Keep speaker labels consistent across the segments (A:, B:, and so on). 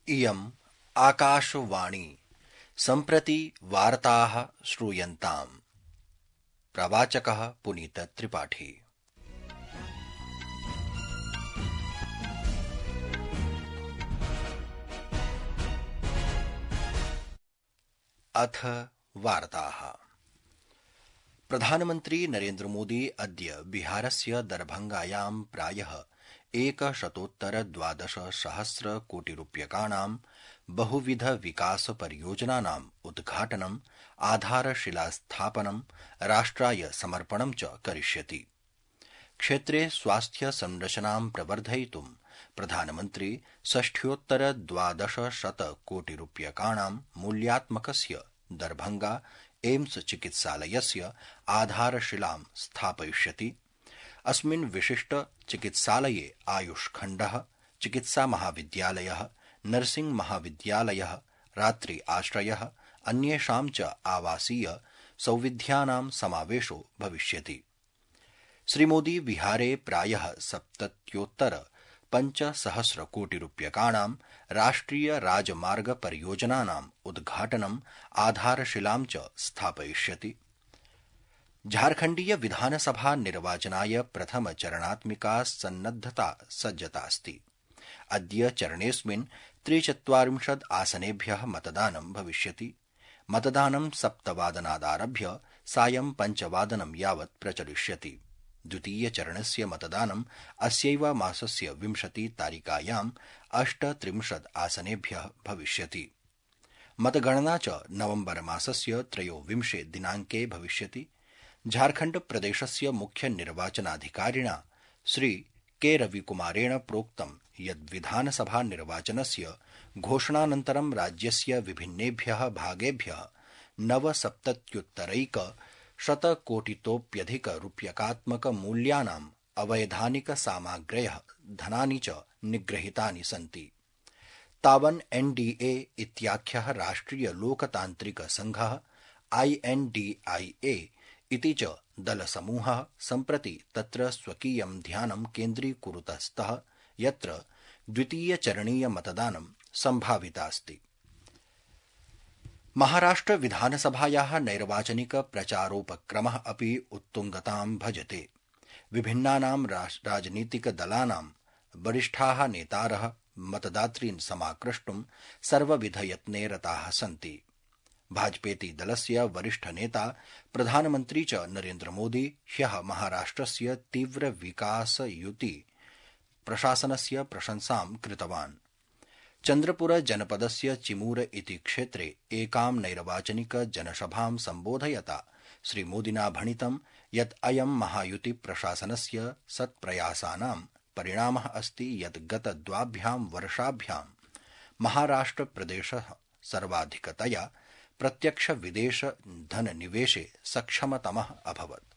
A: इयम् आकाशवाणी सम्प्रति वार्ताः श्रूयन्ताम्। प्रवाचकः पुनीत त्रिपाठी। अथ वार्ताः। प्रधानमन्त्री नरेन्द्र मोदी अद्य बिहारस्य दरभंगायां प्रायः 112 कोटिरूप्यकाणां बहुविध विकास परियोजनानाम् उद्घाटनं, आधारशिलास्थापनं, राष्ट्राय समर्पणं च करिष्यति। क्षेत्रे स्वास्थ्य संरचनां प्रवर्धयितुं प्रधानमन्त्री 6,12 कोटिरूप्यकाणां मूल्यात्मकस्य दरभंगा एम्स चिकित्सालयस्य आधारशिलां स्थापयिष्यति। अस्मिन् विशिष्ट चिकित्सालये आयुषखण्डः, चिकित्सा महाविद्यालयः, नर्सिंग महाविद्यालयः, रात्रि आश्रयः, अन्येषां च आवासीय सौविध्यानां समावेशो भविष्यति। श्रीमोदी बिहारे प्रायः 77,500 कोटिरूप्यकाणां राष्ट्रिय राजमार्ग परियोजनानाम् उद्घाटनं, आधारशिलां च स्थापयिष्यति। झारखण्डीय विधानसभा निर्वाचनाय प्रथमचरणात्मिका सन्नद्धता सज्जतास्ति। अद्य चरणेऽस्मिन् 43 आसनेभ्यः मतदानं भविष्यति। मतदानं 7:00 सायं 5:00 यावत् प्रचलिष्यति। द्वितीयचरणस्य मतदानं अस्यैव मासस्य 20 तारिकायां 38 आसनेभ्यः भविष्यति। मतगणना च नवम्बर मासस्य 23 दिनाङ्के भविष्यति। झारखण्ड प्रदेशस्य मुख्य निर्वाचनाधिकारिणा श्री के रविकुमारेण प्रोक्तं यत् विधानसभा निर्वाचनस्य घोषणानन्तरं राज्यस्य विभिन्नेभ्यः भागेभ्यः 9,70,100 रूप्यकात्मक मूल्यानाम् अवैधानिक सामग्र्यः धनानि च निगृहीतानि सन्ति। तावन् एनडीए इत्याख्यः राष्ट्रिय लोकतान्त्रिक संघः INDIA इति च दलसमूहः सम्प्रति तत्र स्वकीयं ध्यानं केन्द्रीकुरुतः स्तः, यत्र द्वितीयचरणीय मतदानं सम्भावितास्ति। महाराष्ट्र विधानसभायाः नैर्वाचनिक प्रचारोपक्रमः अपि उत्तुङ्गतां भजते। विभिन्नानां राजनीतिकदलानां वरिष्ठाः नेतारः मतदातॄन् समाकृष्टुं सर्वविधयत्ने रताः सन्ति। भाजपेति दलस्य वरिष्ठ नेता प्रधानमन्त्री च नरेन्द्र मोदी ह्यः महाराष्ट्रस्य तीव्र विकासयुति प्रशासनस्य प्रशंसां कृतवान्। चन्द्रपुर जनपदस्य चिमूर इति क्षेत्रे एकां नैर्वाचनिक जनसभां सम्बोधयता श्रीमोदिना भणितं यत् अयं महायुति प्रशासनस्य सत्प्रयासानां परिणामः अस्ति यत् गत 2 वर्षाभ्यां महाराष्ट्र प्रदेशः सर्वाधिकतया प्रत्यक्ष विदेश धननिवेशे सक्षमतमः अभवत्।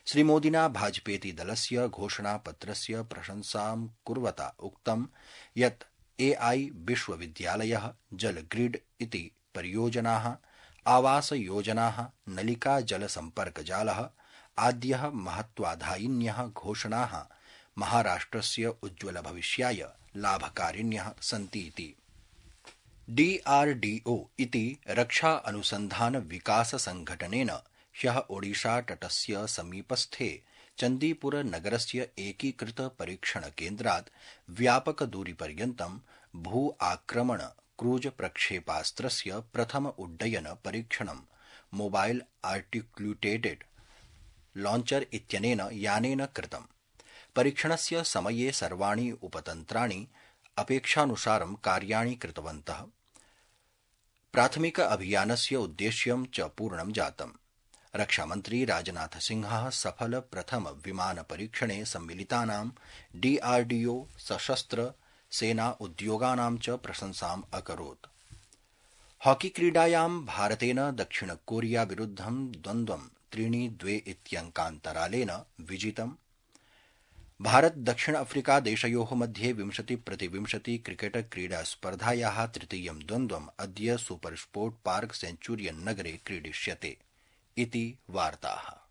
A: श्रीमोदिना भाजपेति दलस्य घोषणापत्रस्य प्रशंसां कुर्वता उक्तं यत् AI विश्वविद्यालयः, जलग्रिड इति परियोजनाः, आवासयोजनाः, नलिका जलसम्पर्कजालः आद्यः महत्वाधायिन्यः घोषणाः महाराष्ट्रस्य उज्ज्वलभविष्याय लाभकारिण्यः सन्तीति। DRDO इति रक्षा अनुसन्धान विकास संघटनेन ह्यः ओडिशातटस्य समीपस्थे चन्दीपुर नगरस्य एकीकृत परीक्षण केन्द्रात् व्यापकदूरीपर्यन्तं भू आक्रमण क्रूज प्रक्षेपास्त्रस्य प्रथम उड्डयन परीक्षणं मोबाइल आर्टिक्युलेटेड लॉन्चर इत्यनेन यानेन कृतम्। परीक्षणस्य समये सर्वाणि उपतन्त्राणि अपेक्षानुसारं कार्याणि कृतवन्तः। प्राथमिक अभियानस्य उद्देश्यं च पूर्णं जातम्। रक्षामन्त्री राजनाथ सिंहः सफल प्रथम विमान परीक्षणे सम्मिलितानां DRDO सशस्त्र सेना उद्योगानां च प्रशंसाम् अकरोत्। हॉकी क्रीडायां भारतेन दक्षिण कोरिया विरुद्धं द्वन्द्वं 3-2 इत्यङ्कान्तरालेन विजितम्। भारत दक्षिण अफ्रीका देशयोः मध्ये 20-20 क्रिकेट क्रीडा स्पर्धायाः तृतीयं द्वन्द्वम् अद्य सुपर स्पोर्ट पार्क सेञ्चुरियन नगरे क्रीडिष्यते इति वार्ताः।